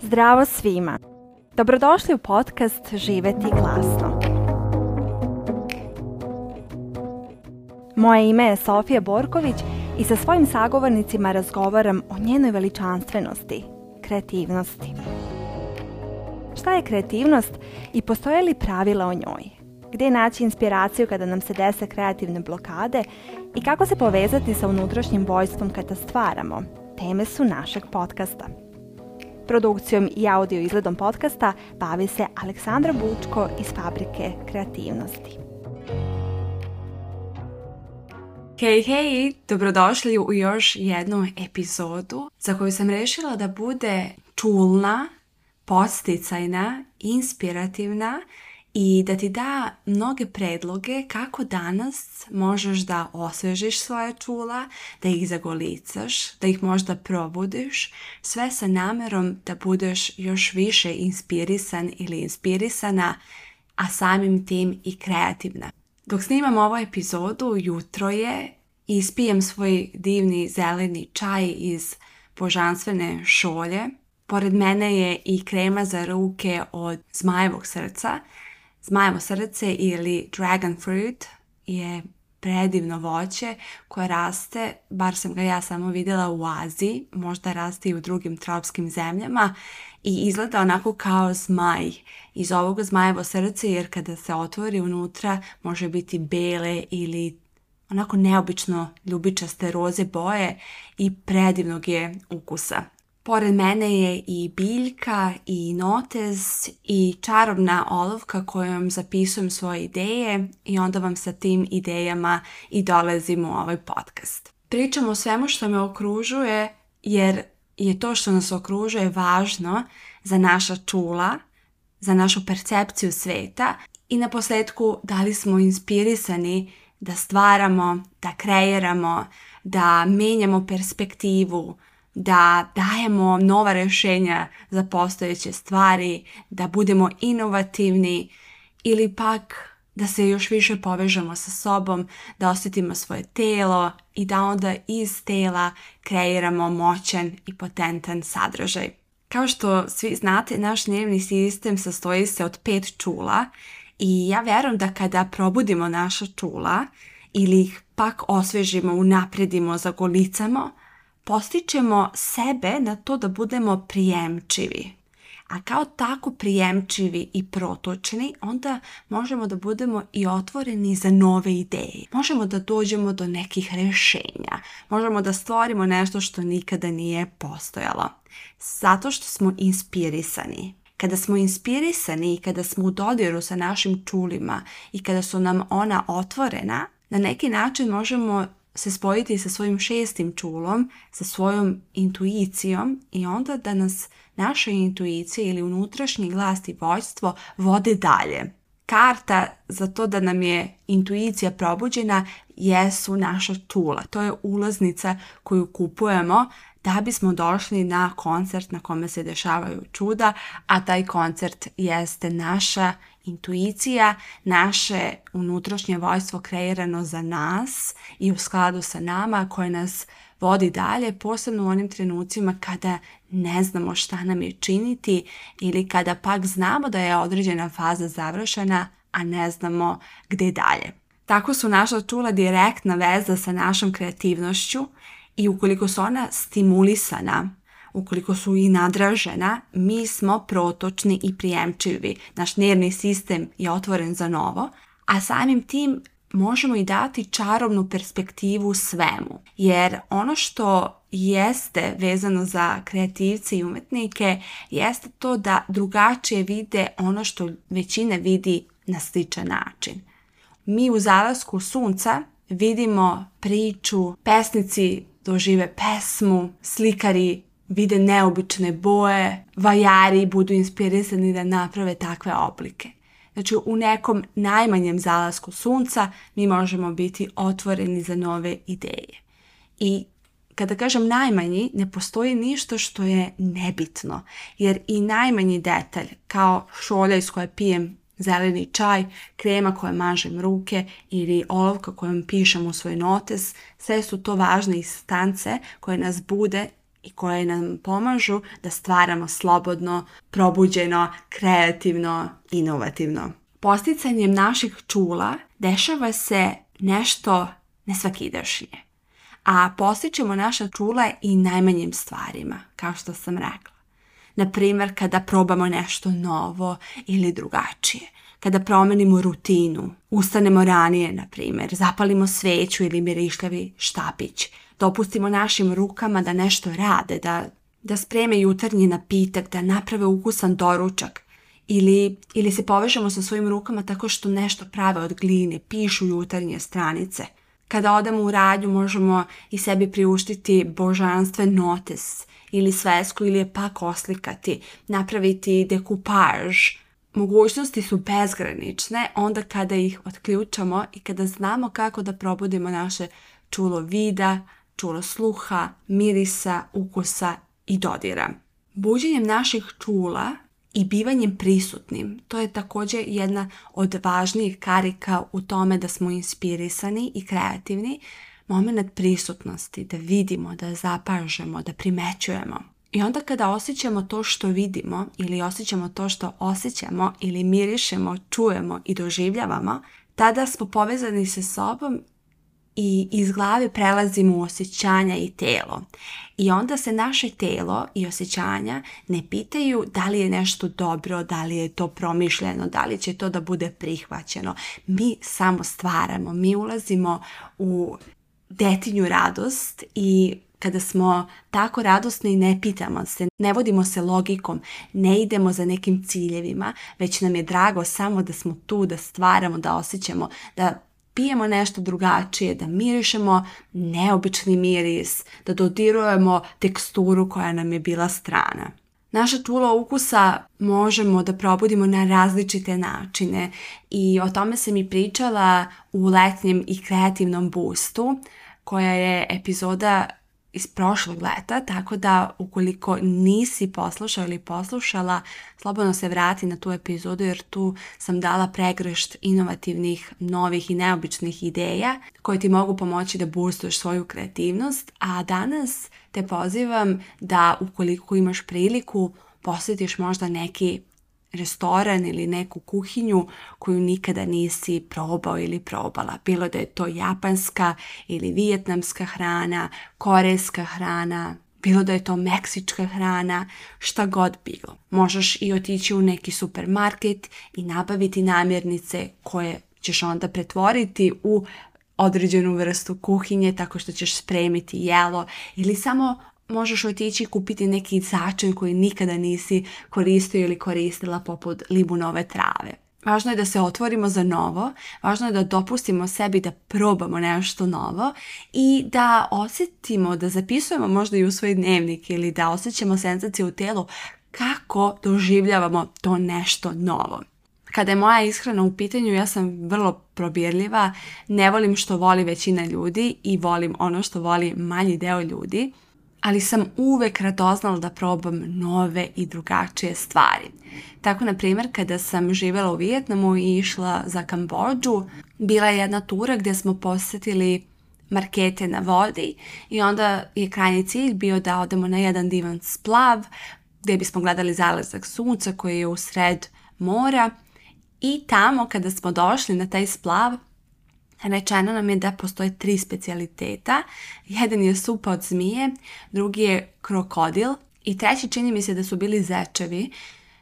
Zdravo svima! Dobrodošli u podcast Živjeti glasno. Moje ime je Sofija Borković i sa svojim sagovornicima razgovaram o njenoj veličanstvenosti, kreativnosti. Šta je kreativnost i postoje li pravila o njoj? Gdje naći inspiraciju kada nam se dese kreativne blokade i kako se povezati sa unutrašnjim vojstvom kada stvaramo? Teme su našeg podcasta. Produkcijom i audio izgledom podcasta bavi se Aleksandra Bučko iz Fabrike kreativnosti. Hej, dobrodošli u još jednu epizodu za koju sam rešila da bude čulna, podsticajna, inspirativna i da ti da mnoge predloge kako danas možeš da osvežiš svoje čula, da ih zagolicaš, da ih možda probudiš, sve sa namerom da budeš još više inspirisan ili inspirisana, a samim tim i kreativna. Dok snimam ovu epizodu, jutro je, ispijem svoj divni zeleni čaj iz božanstvene šolje. Pored mene je i krema za ruke od zmajevog srca. Zmajevo srce ili dragon fruit je predivno voće koje raste, bar sam ga ja samo vidjela u Aziji, možda raste i u drugim tropskim zemljama i izgleda onako kao zmaj. Iz ovog zmajevo srce, jer kada se otvori unutra može biti bele ili onako neobično ljubičaste roze boje i predivnog je ukusa. Pored mene je i biljka i notez i čarobna olovka kojom zapisujem svoje ideje i onda vam sa tim idejama i dolazim u ovaj podcast. Pričam o svemu što me okružuje jer je to što nas okružuje važno za naša čula, za našu percepciju sveta i na posljedku da li smo inspirisani da stvaramo, da kreiramo, da menjamo perspektivu, da dajemo nova rješenja za postojeće stvari, da budemo inovativni ili pak da se još više povežemo sa sobom, da osjetimo svoje telo i da onda iz tela kreiramo moćan i potentan sadržaj. Kao što svi znate, naš nervni sistem sastoji se od 5 čula i ja vjerujem da kada probudimo naša čula ili ih pak osvežimo, unapredimo, zagolicamo, postičemo sebe na to da budemo prijemčivi. A kao tako prijemčivi i protočni, onda možemo da budemo i otvoreni za nove ideje. Možemo da dođemo do nekih rješenja. Možemo da stvorimo nešto što nikada nije postojalo. Zato što smo inspirisani. Kada smo inspirisani i kada smo u dodiru sa našim čulima i kada su nam ona otvorena, na neki način možemo se spojiti sa svojim 6. čulom, sa svojom intuicijom i onda da nas naša intuicija ili unutrašnji glas i vođstvo vode dalje. Karta za to da nam je intuicija probuđena jesu naša čula. To je ulaznica koju kupujemo da bismo došli na koncert na kome se dešavaju čuda, a taj koncert jeste naša intuicija, naše unutrašnje vojstvo kreirano za nas i u skladu sa nama koje nas vodi dalje, posebno u onim trenucima kada ne znamo šta nam je činiti ili kada pak znamo da je određena faza završena, a ne znamo gdje dalje. Tako su naša čula direktna veza sa našom kreativnošću i ukoliko su ona stimulisana, ukoliko su i nadražena, mi smo protočni i prijemčivi. Naš nervni sistem je otvoren za novo, a samim tim možemo i dati čarobnu perspektivu svemu. Jer ono što jeste vezano za kreativce i umetnike jeste to da drugačije vide ono što većina vidi na sličan način. Mi u zalasku sunca vidimo priču, pesnici dožive pesmu, slikari vide neobične boje, vajari budu inspirisani da naprave takve oblike. Znači u nekom najmanjem zalasku sunca mi možemo biti otvoreni za nove ideje. I kada kažem najmanji, ne postoji ništa što je nebitno, jer i najmanji detalj, kao šolja iz koje pijem zeleni čaj, krema koja mažem ruke ili olovka kojom pišem u svoj notes, sve su to važne instance koje nas bude i koje nam pomažu da stvaramo slobodno, probuđeno, kreativno, inovativno. Podsticanjem naših čula dešava se nešto nesvakidašnje, a podstičemo naša čula i najmanjim stvarima, kao što sam rekla. Naprimjer, kada probamo nešto novo ili drugačije, kada promenimo rutinu, ustanemo ranije, naprimjer, zapalimo sveću ili mirišljavi štapić, dopustimo našim rukama da nešto rade, da spreme jutarnji napitak, da naprave ukusan doručak, ili se povežemo sa svojim rukama tako što nešto prave od gline, pišu jutarnje stranice. Kada odemo u radnju možemo i sebi priuštiti božanstven notes ili svesku ili je pak oslikati, napraviti dekupaž. Mogućnosti su bezgranične onda kada ih otključamo i kada znamo kako da probudimo naše čulo vida, čulo sluha, mirisa, ukusa i dodira. Buđenjem naših čula i bivanjem prisutnim, to je također jedna od važnijih karika u tome da smo inspirisani i kreativni, moment prisutnosti, da vidimo, da zapažemo, da primećujemo. I onda kada osjećamo to što vidimo ili osjećamo to što osjećamo ili mirišemo, čujemo i doživljavamo, tada smo povezani sa sobom i iz glave prelazimo u osjećanja i telo. I onda se naše telo i osjećanja ne pitaju da li je nešto dobro, da li je to promišljeno, da li će to da bude prihvaćeno. Mi samo stvaramo, mi ulazimo u detinju radost i kada smo tako radosni ne pitamo se, ne vodimo se logikom, ne idemo za nekim ciljevima, već nam je drago samo da smo tu, da stvaramo, da osjećamo, da pijemo nešto drugačije, da mirišemo neobični miris, da dodirujemo teksturu koja nam je bila strana. Naša čula ukusa možemo da probudimo na različite načine i o tome sam i pričala u letnjem i kreativnom boostu, koja je epizoda iz prošlog leta, tako da ukoliko nisi poslušao ili poslušala, slobodno se vrati na tu epizodu jer tu sam dala pregršt inovativnih, novih i neobičnih ideja koje ti mogu pomoći da boostuješ svoju kreativnost, a danas te pozivam da ukoliko imaš priliku posjetiš možda neki restoran ili neku kuhinju koju nikada nisi probao ili probala. Bilo da je to japanska ili vijetnamska hrana, korejska hrana, bilo da je to meksička hrana, šta god bilo. Možeš i otići u neki supermarket i nabaviti namirnice koje ćeš onda pretvoriti u određenu vrstu kuhinje tako što ćeš spremiti jelo ili samo možeš otići i kupiti neki začin koji nikada nisi koristio ili koristila poput libunove trave. Važno je da se otvorimo za novo, važno je da dopustimo sebi da probamo nešto novo i da osjetimo, da zapisujemo možda i u svoj dnevnik ili da osjećamo senzacije u telu kako doživljavamo to nešto novo. Kada je moja ishrana u pitanju, ja sam vrlo probirljiva, ne volim što voli većina ljudi i volim ono što voli manji deo ljudi, ali sam uvek radoznala da probam nove i drugačije stvari. Tako, na primjer, kada sam živjela u Vijetnamu i išla za Kambodžu, bila je jedna tura gdje smo posjetili markete na vodi i onda je krajnji cilj bio da odemo na jedan divan splav gdje bismo gledali zalazak sunca koji je u sred mora i tamo kada smo došli na taj splav, rečeno nam je da postoje 3 specijaliteta. Jedan je supa od zmije, drugi je krokodil i treći čini mi se da su bili zečevi.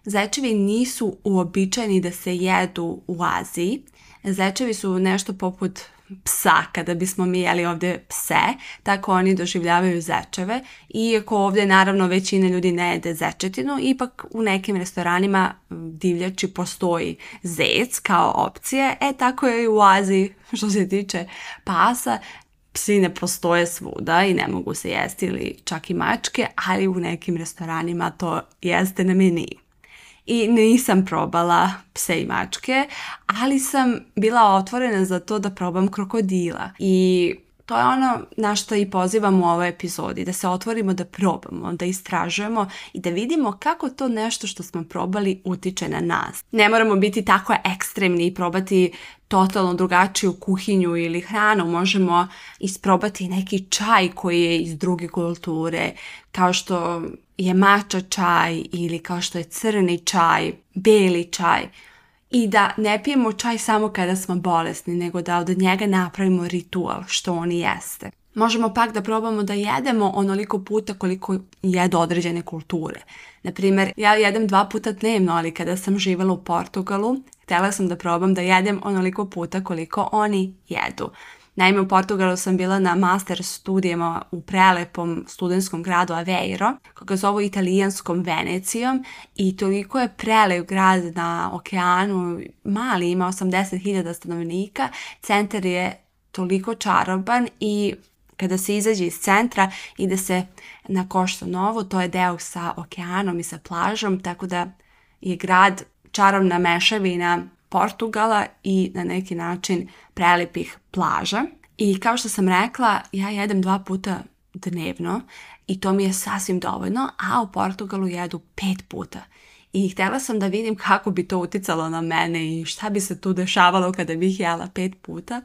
Zečevi nisu uobičajeni da se jedu u Aziji. Zečevi su nešto poput psa, kada bismo mi jeli ovdje pse, tako oni doživljavaju zečeve. Iako ovdje naravno većina ljudi ne jede zečetinu, ipak u nekim restoranima divljači postoji zec kao opcije, tako je i u Aziji što se tiče pasa. Psi ne postoje svuda i ne mogu se jesti ili čak i mačke, ali u nekim restoranima to jeste na meniju. I nisam probala pse i mačke, ali sam bila otvorena za to da probam krokodila. I To je ono na što i pozivamo u ovoj epizodi, da se otvorimo, da probamo, da istražujemo i da vidimo kako to nešto što smo probali utiče na nas. Ne moramo biti tako ekstremni i probati totalno drugačiju kuhinju ili hranu. Možemo isprobati neki čaj koji je iz druge kulture, kao što je matcha čaj ili kao što je crni čaj, beli čaj. I da ne pijemo čaj samo kada smo bolesni, nego da od njega napravimo ritual, što on i jeste. Možemo pak da probamo da jedemo onoliko puta koliko jedu određene kulture. Naprimjer, ja jedem 2 puta dnevno, ali kada sam živjela u Portugalu, htjela sam da probam da jedem onoliko puta koliko oni jedu. Naime, u Portugalu sam bila na master studijama u prelepom studentskom gradu Aveiro, koga zovu italijanskom Venecijom, i toliko je prelep grad na okeanu, mali, ima 80.000 stanovnika, centar je toliko čaroban i kada se izađe iz centra ide se na Costa Novo, to je deo sa okeanom i sa plažom, tako da je grad čarobna mešavina Portugala i na neki način prelepih plaža. I kao što sam rekla, ja jedem 2 puta dnevno i to mi je sasvim dovoljno, a u Portugalu jedu 5 puta. I htjela sam da vidim kako bi to uticalo na mene i šta bi se tu dešavalo kada bih jela 5 puta.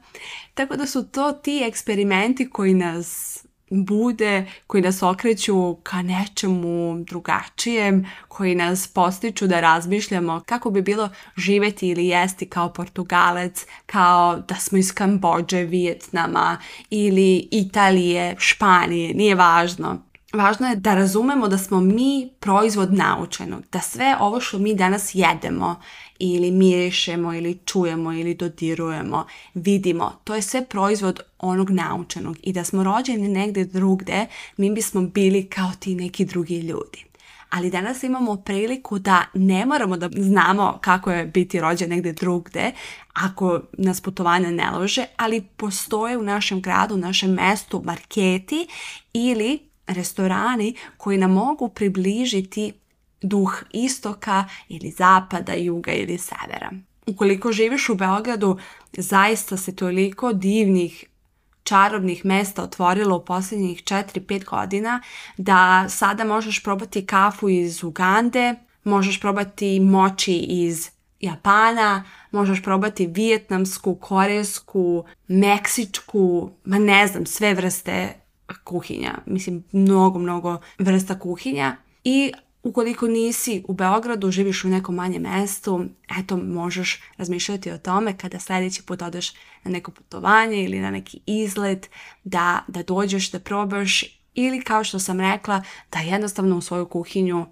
Tako da su to ti eksperimenti koji nas bude, koji nas okreću ka nečemu drugačijem, koji nas postiču da razmišljamo kako bi bilo živjeti ili jesti kao Portugalac, kao da smo iz Kambodže, Vijetnama ili Italije, Španije, nije važno. Važno je da razumemo da smo mi proizvod naučenog, da sve ovo što mi danas jedemo ili mirišemo ili čujemo ili dodirujemo, vidimo, to je sve proizvod onog naučenog i da smo rođeni negdje drugdje, mi bismo bili kao ti neki drugi ljudi. Ali danas imamo priliku da ne moramo da znamo kako je biti rođen negdje drugdje, ako nas putovanja ne lože, ali postoje u našem gradu, u našem mestu marketi ili restorani koji nam mogu približiti duh istoka ili zapada, juga ili severa. Ukoliko živiš u Beogradu, zaista se toliko divnih, čarobnih mesta otvorilo u posljednjih 4-5 godina da sada možeš probati kafu iz Ugande, možeš probati moči iz Japana, možeš probati vijetnamsku, korejsku, meksičku, sve vrste kuhinja. Mislim, mnogo vrsta kuhinja. I ukoliko nisi u Beogradu, živiš u nekom manjem mestu, eto, možeš razmišljati o tome kada sljedeći put odeš na neko putovanje ili na neki izlet, da dođeš, da probaš, ili kao što sam rekla, da jednostavno u svoju kuhinju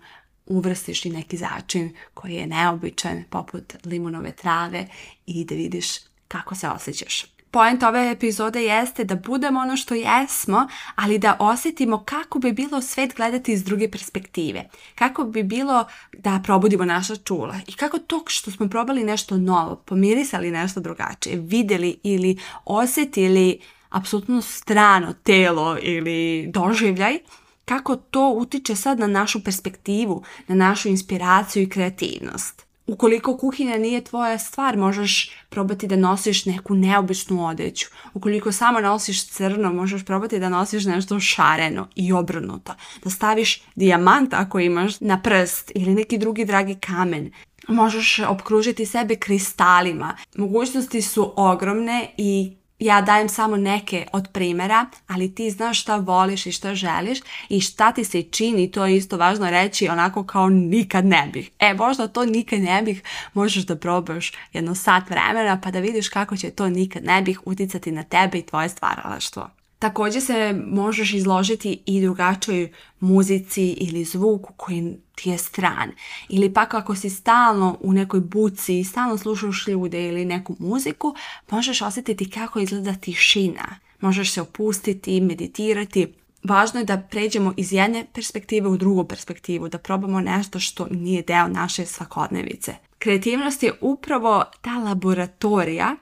uvrstiš i neki začin koji je neobičan, poput limunove trave, i da vidiš kako se osjećaš. Point ove epizode jeste da budemo ono što jesmo, ali da osjetimo kako bi bilo svet gledati iz druge perspektive. Kako bi bilo da probudimo naša čula i kako to što smo probali nešto novo, pomirisali nešto drugačije, vidjeli ili osjetili apsolutno strano telo ili doživljaj, kako to utiče sad na našu perspektivu, na našu inspiraciju i kreativnost. Ukoliko kuhinja nije tvoja stvar, možeš probati da nosiš neku neobičnu odeću. Ukoliko samo nosiš crno, možeš probati da nosiš nešto šareno i obrnuto. Da staviš dijamant ako imaš na prst ili neki drugi dragi kamen. Možeš opkružiti sebe kristalima. Mogućnosti su ogromne i ja dajem samo neke od primjera, ali ti znaš šta voliš i šta želiš i šta ti se čini, to je isto važno reći, onako kao nikad ne bih. Možda to nikad ne bih možeš da probaš jedno sat vremena pa da vidiš kako će to nikad ne bih uticati na tebe i tvoje stvaralaštvo. Također se možeš izložiti i drugačoj muzici ili zvuku koji ti je stran. Ili pak ako si stalno u nekoj buci i stalno slušaš ljude ili neku muziku, možeš osjetiti kako izgleda tišina. Možeš se opustiti, meditirati. Važno je da pređemo iz jedne perspektive u drugu perspektivu, da probamo nešto što nije deo naše svakodnevice. Kreativnost je upravo ta laboratorija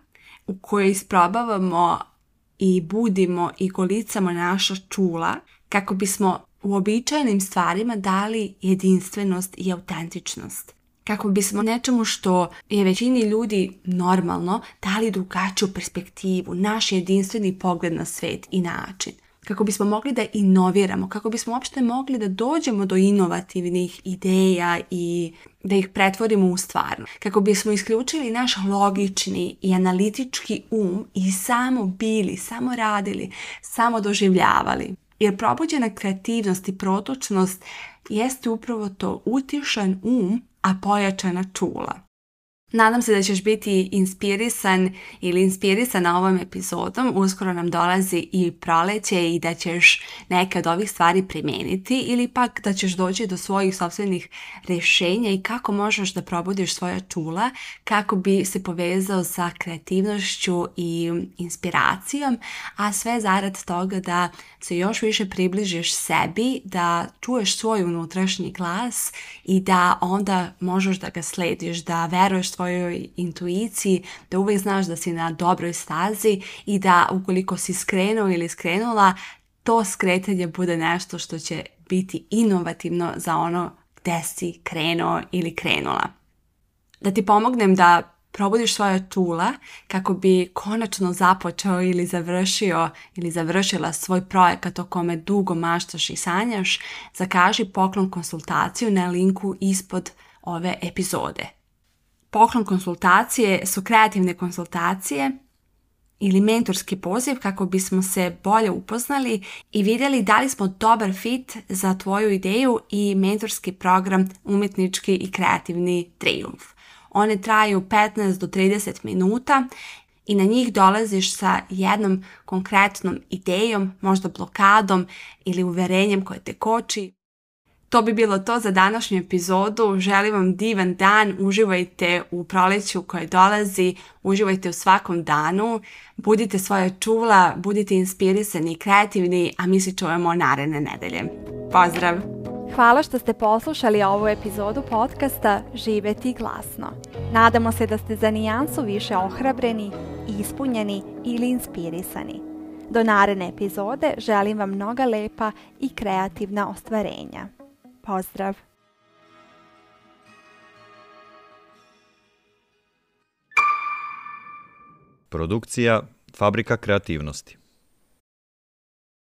u kojoj isprobavamo i budimo i golicamo naša čula kako bismo uobičajenim stvarima dali jedinstvenost i autentičnost. kako bismo nečemu što je većini ljudi normalno dali drugačiju perspektivu, naš jedinstveni pogled na svet i način. Kako bismo mogli da inoviramo, kako bismo uopšte mogli da dođemo do inovativnih ideja i da ih pretvorimo u stvarno. Kako bismo isključili naš logični i analitički i samo bili, samo radili, samo doživljavali. Jer probuđena kreativnost i protočnost jeste upravo to, utišan a pojačana čula. Nadam se da ćeš biti inspirisan ili inspirisana ovom epizodom. Uskoro nam dolazi i proleće i da ćeš neke od ovih stvari primijeniti ili pak da ćeš doći do svojih sopstvenih rješenja i kako možeš da probudiš svoja čula kako bi se povezao sa kreativnošću i inspiracijom, a sve zarad toga da se još više približiš sebi, da čuješ svoj unutrašnji glas i da onda možeš da ga slediš, da veruješ svojoj intuiciji, da uvijek znaš da si na dobroj stazi i da ukoliko si skrenuo ili skrenula, to skretanje bude nešto što će biti inovativno za ono gdje si krenuo ili krenula. Da ti pomognem da probudiš svoja čula kako bi konačno započeo ili završio ili završila svoj projekat o kome dugo maštaš i sanjaš, zakaži poklon konsultaciju na linku ispod ove epizode. Poklon konsultacije su kreativne konsultacije ili mentorski poziv kako bismo se bolje upoznali i vidjeli da li smo dobar fit za tvoju ideju i mentorski program Umjetnički i kreativni trijumf. One traju 15 do 30 minuta i na njih dolaziš sa jednom konkretnom idejom, možda blokadom ili uverenjem koje te koči. To bi bilo to za današnju epizodu. Želim vam divan dan, uživajte u proleću koje dolazi, uživajte u svakom danu, budite svoja čula, budite inspirisani i kreativni, a mi se čujemo naredne nedelje. Pozdrav! Hvala što ste poslušali ovu epizodu podcasta Živjeti glasno. Nadamo se da ste za nijansu više ohrabreni, ispunjeni ili inspirisani. Do naredne epizode želim vam mnoga lepa i kreativna ostvarenja. Pozdrav! Produkcija Fabrika kreativnosti.